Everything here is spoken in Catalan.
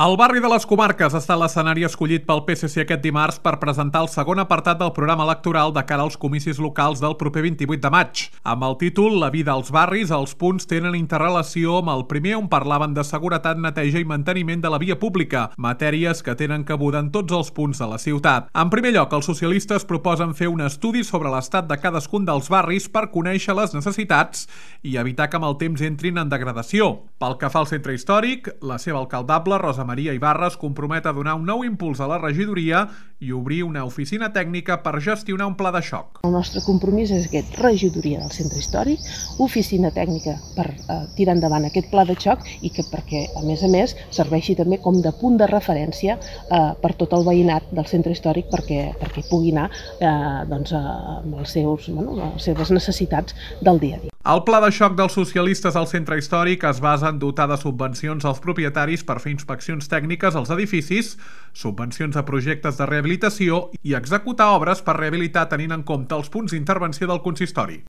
El barri de les Comarques ha estat l'escenari escollit pel PSC aquest dimarts per presentar el segon apartat del programa electoral de cara als comicis locals del proper 28 de maig. Amb el títol La vida als barris, els punts tenen interrelació amb el primer, on parlaven de seguretat, neteja i manteniment de la via pública, matèries que tenen cabuda en tots els punts de la ciutat. En primer lloc, els socialistes proposen fer un estudi sobre l'estat de cadascun dels barris per conèixer les necessitats i evitar que amb el temps entrin en degradació. Pel que fa al centre històric, la seva alcaldable, Rosa Maria Ibarra, es compromet a donar un nou impuls a la regidoria i obrir una oficina tècnica per gestionar un pla de xoc. El nostre compromís és aquest: regidoria del centre històric, oficina tècnica per tirar endavant aquest pla de xoc i que perquè, a més, serveixi també com de punt de referència per tot el veïnat del centre històric perquè pugui anar amb les seves necessitats del dia a dia. El pla de xoc dels socialistes al centre històric es basa en dotar de subvencions als propietaris per fer inspeccions tècniques als edificis, subvencions a projectes de rehabilitació i executar obres per rehabilitar tenint en compte els punts d'intervenció del consistori.